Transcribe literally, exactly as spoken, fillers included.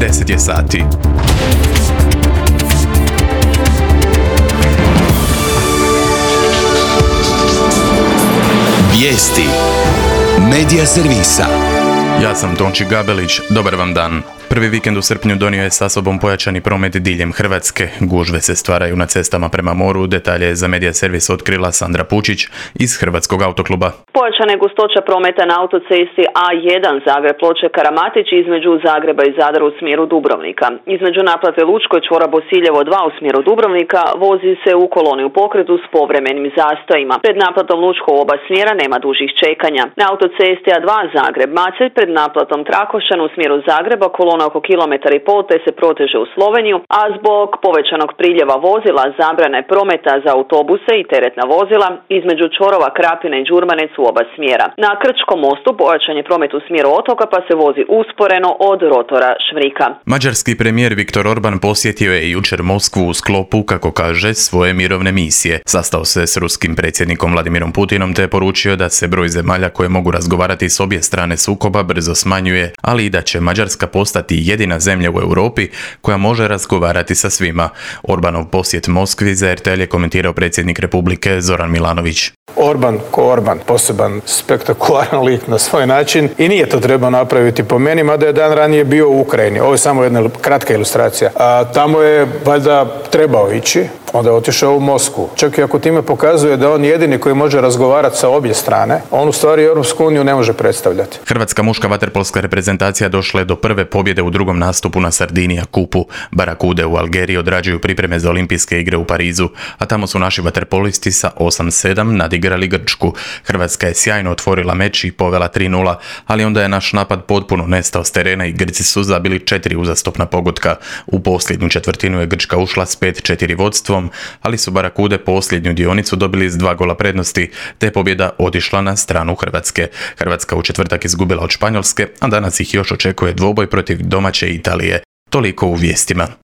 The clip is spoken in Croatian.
deset je sati. Vijesti Medija servisa. Ja sam Tonči Gabelić, dobar vam dan. Prvi vikend u srpnju donio je sa sobom pojačani promet diljem Hrvatske. Gužve se stvaraju na cestama prema moru, detalje za Medija servis otkrila Sandra Pučić iz Hrvatskog autokluba. Pojačana je gustoća prometa na autocesti A jedan Zagreb-Ploče-Karamatić između Zagreba i Zadra u smjeru Dubrovnika. Između naplate Lučko i čvora Bosiljevo dva u smjeru Dubrovnika vozi se u koloni u pokretu s povremenim zastojima. Pred naplatom Lučko u oba smjera nema dužih čekanja. Na autocesti A dva Zagreb-Macelj pred naplatom Trakošćan u smjeru Zagreba kolona oko kilometar i pol te se proteže u Sloveniju, a zbog povećanog priljeva vozila zabrane prometa za autobuse i teretna vozila između čvorova Krapina i Đurmanec u oba smjera. Na Krčkom mostu pojačan je promet u smjeru otoka pa se vozi usporeno od rotora Švrika. Mađarski premijer Viktor Orban posjetio je jučer Moskvu u sklopu, kako kaže, svoje mirovne misije. Sastao se s ruskim predsjednikom Vladimirom Putinom te je poručio da se broj zemalja koje mogu razgovarati s obje strane sukoba brzo smanjuje, ali i da će Mađarska postati jedina zemlja u Europi koja može razgovarati sa svima. Orbanov posjet Moskvi za er te el je komentirao predsjednik Republike Zoran Milanović. Orban ko Orban, poseban spektakularan lik na svoj način i nije to trebao napraviti po meni, mada je dan ranije bio u Ukrajini. Ovo je samo jedna kratka ilustracija. A tamo je valjda trebao ići, onda je otišao u Moskvu. Čak i ako time pokazuje da on jedini koji može razgovarati sa obje strane, on u stvari Europsku uniju ne može predstavljati. Hrvatska muška vaterpolska reprezentacija došla je do prve pobjede u drugom nastupu na Sardinija kupu. Barakude u Algeriji odrađuju pripreme za olimpijske igre u Parizu, a tamo su naši vaterpolisti sa osam sedam nadigrali Grčku. Hrvatska je sjajno otvorila meč i povela tri nula, ali onda je naš napad potpuno nestao s terena i Grci su zabili četiri uzastopna pogotka. U posljednju četvrtinu je Grčka ušla s pet četiri vodstvom, ali su Barakude posljednju dionicu dobili s dva gola prednosti, te pobjeda otišla na stranu Hrvatske. Hrvatska u četvrtak izgubila od Španjolske, a danas ih još očekuje dvoboj protiv domaće Italije. Toliko u vijestima.